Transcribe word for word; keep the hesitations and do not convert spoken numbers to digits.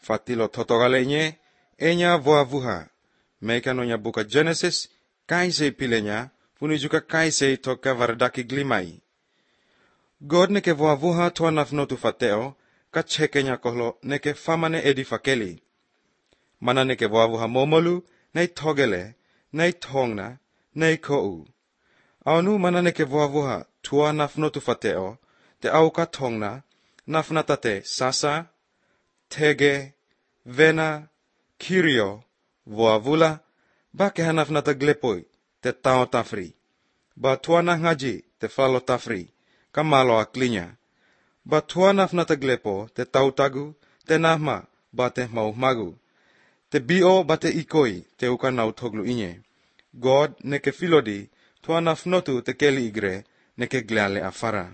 Fatilo totogalenye, enya voa vuha. Mekanonya buka Genesis, kaise pilenya, puni juga kaise toka vardaki glimai. God neke voa vuha toa nafnotu fateo, kachekenya kohlo neke famane edi fakeli. Mana neke voa vuha momolu, nei togele, nei tongna, nei kou. Aunu mana neke voa vuha tua nafnotu fateo, te auka tongna, nafnatate sasa, tege, vena, kirio, voa vula, ba ke hanafnata glepoi, te tao tafri. Ba tuana ngaji, te falo tafri, kamalo aklinya. Ba tuana nafnata glepo, te tau tagu, te nahma, ba te mau magu. Te bio ba te ikoi, te uka nau toglu inye. God neke filodi, tuana fnotu te keli igre, neke gleale afara.